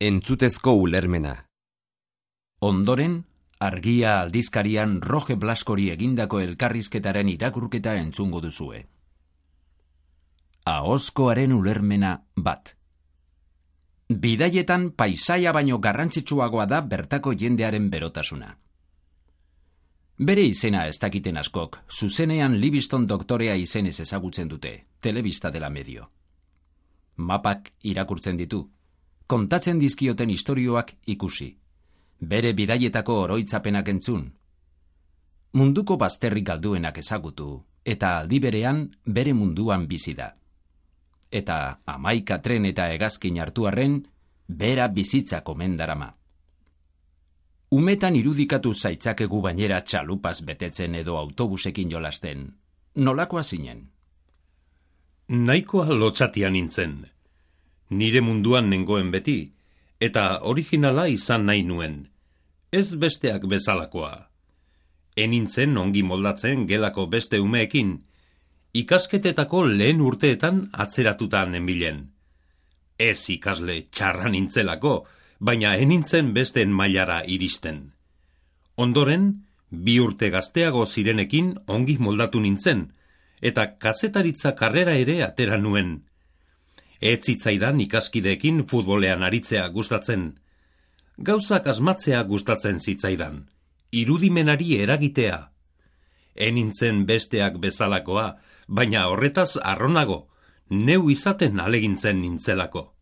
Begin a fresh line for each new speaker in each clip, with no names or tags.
Entzutezko ulermena.
Ondoren, Argia aldizkarian Roge Blaskori egindako elkarrizketaren irakurketa entzungo duzue. Ahozkoaren ulermena bat. Bidaietan paisaia baino garrantzitsuagoa da bertako jendearen berotasuna. Bere izena ez dakiten askok, zuzenean Livingston doktorea izenez ezagutzen dute, telebista dela medio. Mapak irakurtzen ditu, kontatzen dizkioten istorioak ikusi, bere bidaietako oroitzapenak entzun. Munduko bazterrik galduenak ezagutu, eta aldi berean bere munduan bizi da. Eta 11 tren eta hegazkin hartu arren, bera bizitza komendarama. Umetan irudikatu zaitzakegu bainera txalupaz betetzen edo autobusekin jolasten. Nolakoa zinen?
Nahikoa lotxatia nintzen. Nire munduan nengoen beti, eta originala izan nahi nuen. Ez besteak bezalakoa. Enintzen ongi moldatzen gelako beste umeekin, ikasketetako lehen urteetan atzeratuta nenbilen. Ez ikasle txarra nintzelako, baina enintzen besteen mailara iristen. Ondoren, 2 urte gazteago zirenekin ongi moldatu nintzen, eta kazetaritza karrera ere atera nuen. Ez zitzaidan ikaskideekin futbolean aritzea gustatzen. Gauzak asmatzea gustatzen zitzaidan, irudimenari eragitea. Enintzen besteak bezalakoa, baina horretaz arronago, neu izaten alegintzen nintzelako.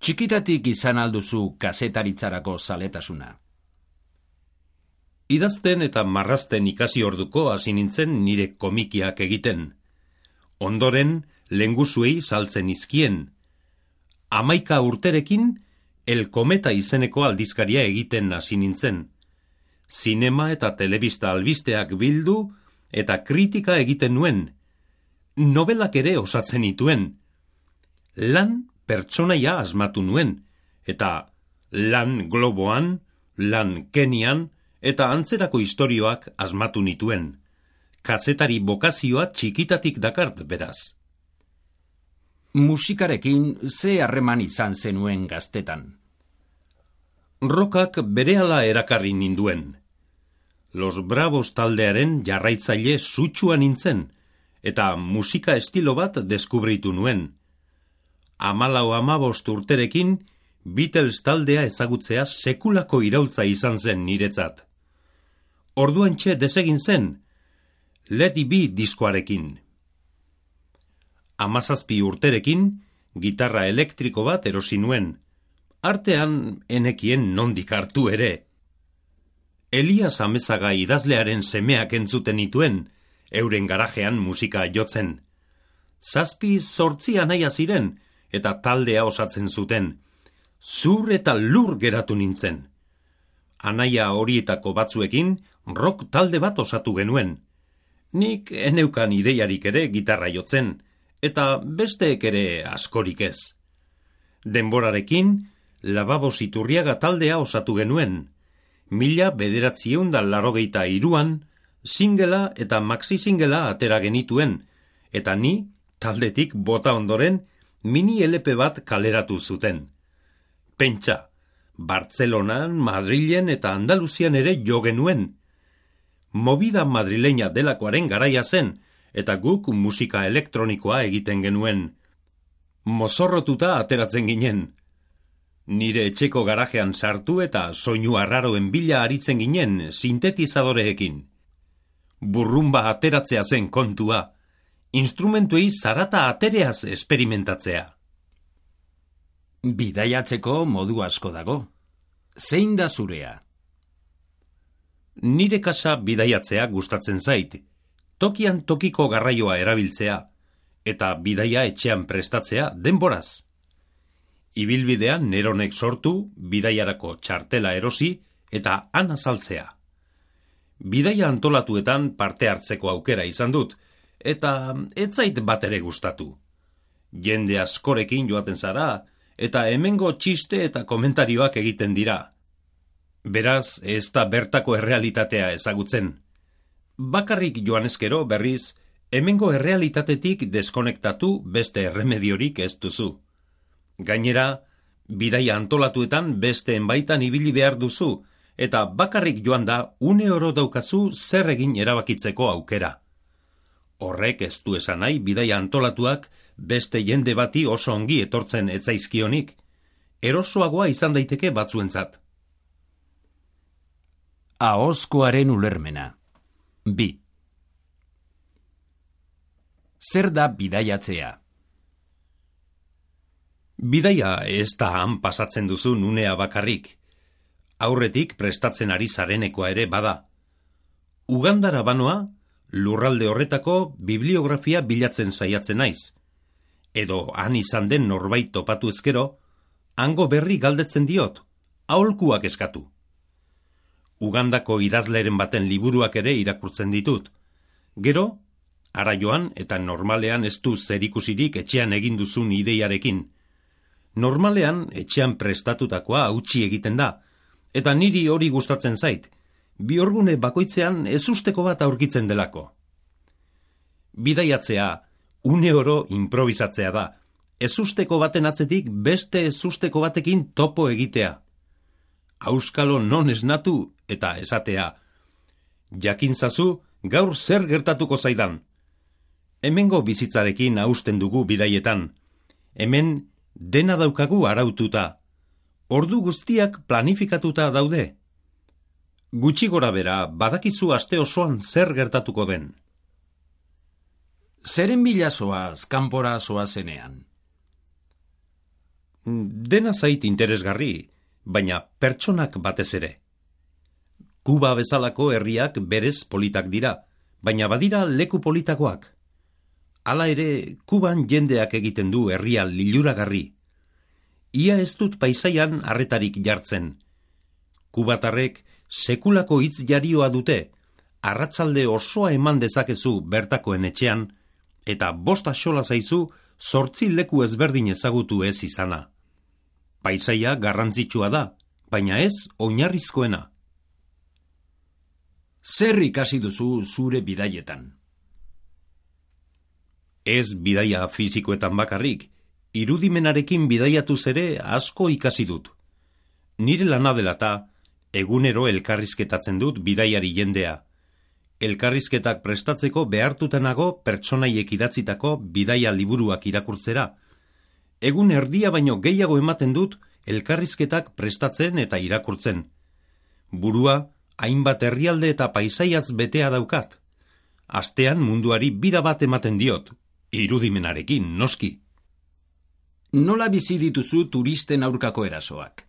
Txikitatik izan alduzu kazetaritzarako zaletasuna.
Idazten eta marrazten ikasi orduko hasi nintzen nire komikiak egiten. Ondoren, lenguzuei saltzen izkien. 11 urterekin, El Kometa izeneko aldizkaria egiten hasi nintzen. Zinema eta telebista albisteak bildu eta kritika egiten nuen. Nobelak ere osatzen nituen. Lan pertsonaia asmatu nuen, eta lan Globoan, lan Kenian, eta antzerako istorioak asmatu nituen. Kazetari bokazioa txikitatik dakart beraz.
Musikarekin ze harreman izan zenuen gaztetan?
Rockak berehala erakarri ninduen. Los Bravos taldearen jarraitzaile sutsua nintzen, eta musika estilo bat deskubritu nuen. 14-15 urterekin, Beatles taldea ezagutzea sekulako iraultza izan zen niretzat. Orduantxe desegin zen, Let It Be diskoarekin. 17 urterekin, gitarra elektriko bat erosi nuen. Artean enekien nondik hartu ere. Elias Amezaga idazlearen semeak entzuten nituen, euren garajean musika jotzen. 7-8 anaia ziren, eta taldea osatzen zuten. Zur eta lur geratu nintzen. Anaia horietako batzuekin rock talde bat osatu genuen. Nik eneukan ideiarik ere gitarra jotzen, eta besteek ere askorik ez. Denborarekin, Lababos Iturriaga taldea osatu genuen. 1983an, singela eta maxi singela atera genituen, eta ni, taldetik bota ondoren, mini LP bat kaleratu zuten. Pentsa, Bartzelonan, Madrilen eta Andaluzian ere jo genuen. Movida madrileña delakoaren garaia zen, eta guk musika elektronikoa egiten genuen. Mozorrotuta ateratzen ginen. Nire etxeko garajean sartu eta soinu arraroen bila aritzen ginen sintetizadoreekin. Burrumba ateratzea zen kontua, instrumentuei zarata atereaz esperimentatzea.
Bidaiatzeko modu asko dago. Zein da zurea?
Nire kasa bidaiatzea gustatzen zait, tokian tokiko garraioa erabiltzea, eta bidaia etxean prestatzea denboraz. Ibilbidean neronek sortu, bidaiarako txartela erosi eta han azaltzea. Bidaia antolatuetan parte hartzeko aukera izan dut, eta ez zait bat ere gustatu. Jende askorekin joaten zara, eta hemengo txiste eta komentarioak egiten dira. Beraz, ez da bertako errealitatea ezagutzen. Bakarrik joan ezkero berriz, hemengo errealitatetik deskonektatu beste erremediorik ez duzu. Gainera, Bidaia antolatuetan besteen baitan ibili behar duzu, eta bakarrik joan da 1 euro daukazu zer egin erabakitzeko aukera. Horrek ez du esan nahi bidaia antolatuak beste jende bati oso ongi etortzen etzaizkionik, erosoagoa izan daiteke batzuentzat.
Ahozkoaren ulermena. 2. Zer da bidaiatzea?
Bidaia ez da han pasatzen duzun unea bakarrik. Aurretik prestatzen ari zarenekoa ere bada. Ugandara banoa, lurralde horretako bibliografia bilatzen saiatzen naiz. Edo han izan den norbait topatu ezkero, hango berri galdetzen diot, aholkuak eskatu. Ugandako idazleren baten liburuak ere irakurtzen ditut. Gero, ara joan eta normalean ez du zerikusirik etxean egin duzun ideiarekin. Normalean etxean prestatutakoa hautsi egiten da, eta niri hori gustatzen zait, bihurgune bakoitzean ezusteko bat aurkitzen delako. Bidaiatzea, 1 euro improvisatzea da, ezusteko baten atzetik beste ezusteko batekin topo egitea. Auskalo non esnatu eta esatea. Jakintzazu gaur zer gertatuko zaidan. Hemengo bizitzarekin hausten dugu bidaietan. Hemen dena daukagu araututa. Ordu guztiak planifikatuta daude. Gutxi gora bera, badakizu aste osoan zer gertatuko den.
Zeren bila zoaz, kanpora zoazenean?
Dena zait interesgarri, baina pertsonak batez ere. Kuba bezalako herriak berez politak dira, baina badira leku politakoak. Hala ere, Kuban jendeak egiten du herria liluragarri. Ia ez dut paisaian arretarik jartzen. Kubatarrek sekulako hitz jarioa dute, arratzalde osoa eman dezakezu bertakoen etxean, eta 5 axola zaizu 8 leku ezberdin ezagutu ez izana. Paisaia garrantzitsua da, baina ez oinarrizkoena.
Zer ikasi duzu zure bidaietan?
Ez bidaia fisikoetan bakarrik, irudimenarekin bidaiatuz ere asko ikasi dut. Nire lana dela eta, egunero elkarrizketatzen dut bidaiari jendea. Elkarrizketak prestatzeko behartutanago pertsonaiek idatzitako bidaia liburuak irakurtzera. Egun erdia baino gehiago ematen dut elkarrizketak prestatzen eta irakurtzen. Burua, hainbat herrialde eta paisaiaz betea daukat. Astean munduari bira bat ematen diot, irudimenarekin, noski.
Nola bizi dituzu turisten aurkako erasoak?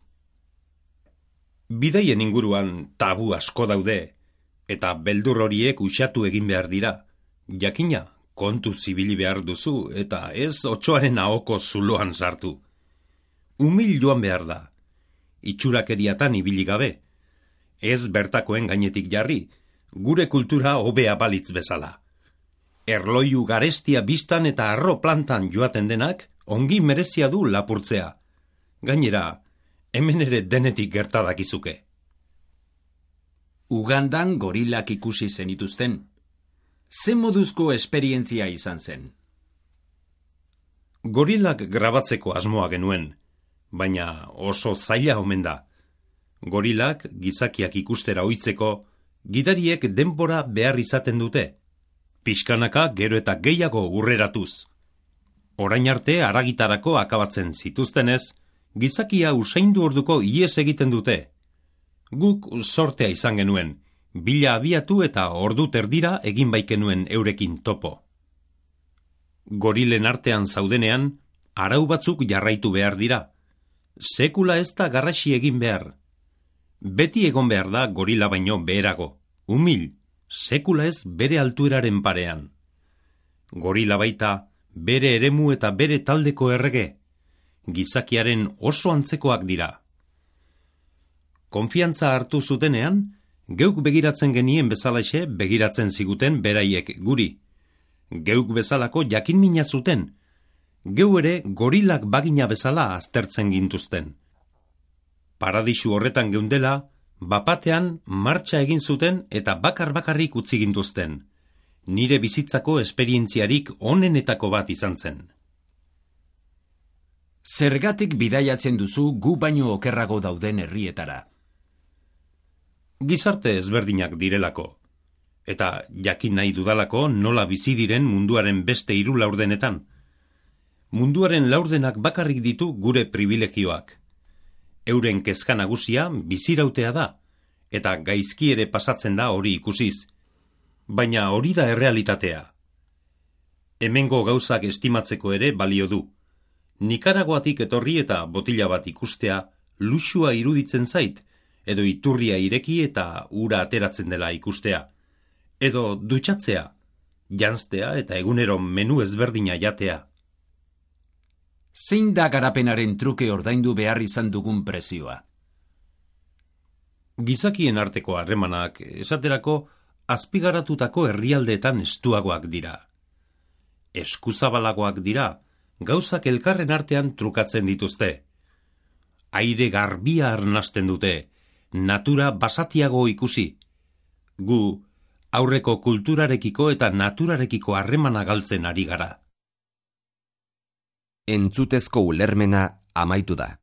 Bidaien inguruan tabu asko daude, eta beldur horiek uxatu egin behar dira. Jakina, kontu zibili behar duzu, eta ez otsoaren ahoko zuloan sartu. Umil joan behar da. Itxurakeriatan ibili gabe. Ez bertakoen gainetik jarri, gure kultura hobea balitz bezala. Erloiu garestia biztan eta arro plantan joaten denak, ongi merezia du lapurtzea. Gainera, hemen ere denetik gertadakizuke.
Ugandan gorilak ikusi zenituzten. Ze moduzko esperientzia izan zen?
Gorilak grabatzeko asmoa genuen, baina oso zaila omen da. Gorilak gizakiak ikustera ohitzeko, gidariek denbora behar izaten dute. Pixkanaka gero eta gehiago urreratuz. Orain arte haragitarako akabatzen zituztenez, gizakia usaindu orduko ihes egiten dute. Guk sortea izan genuen, bila abiatu eta ordu terdira egin baikenuen eurekin topo. Gorilen artean zaudenean, arau batzuk jarraitu behar dira. Sekula ez da garrasi egin behar. Beti egon behar da gorila baino beherago, umil, sekula ez bere altueraren parean. Gorila baita, bere eremu eta bere taldeko errege, gizakiaren oso antzekoak dira. Konfiantza hartu zutenean, geuk begiratzen genien bezalaxe begiratzen ziguten beraiek guri. Geuk bezalako jakinmina zuten, geu ere gorilak bagina bezala aztertzen gintuzten. Paradisu horretan geundela, bapatean martxa egin zuten eta bakar-bakarrik utzi gintuzten. Nire bizitzako esperientziarik onenetako bat izan zen.
Zergatik bidaiatzen duzu gu baino okerrago dauden herrietara?
Gizarte ezberdinak direlako. Eta jakin nahi dudalako nola bizi diren munduaren beste 3 laurdenetan. Munduaren laurdenak bakarrik ditu gure privilegioak. Euren kezka nagusia bizirautea da, eta gaizki ere pasatzen da hori ikusiz. Baina hori da errealitatea. Hemengo gauzak estimatzeko ere balio du. Nikaraguatik etorri eta botila bat ikustea luxua iruditzen zait, edo iturria ireki eta ura ateratzen dela ikustea. Edo dutxatzea, janztea eta egunero menu ezberdina jatea.
Zein da garapenaren truke ordaindu behar izan dugun prezioa?
Gizakien arteko harremanak esaterako azpigaratutako herrialdeetan estuagoak dira. Eskuzabalagoak dira, gauzak elkarren artean trukatzen dituzte. Aire garbia arnasten dute, natura basatiago ikusi. Gu, aurreko kulturarekiko eta naturarekiko harremana galtzen ari gara.
Entzutezko ulermena amaitu da.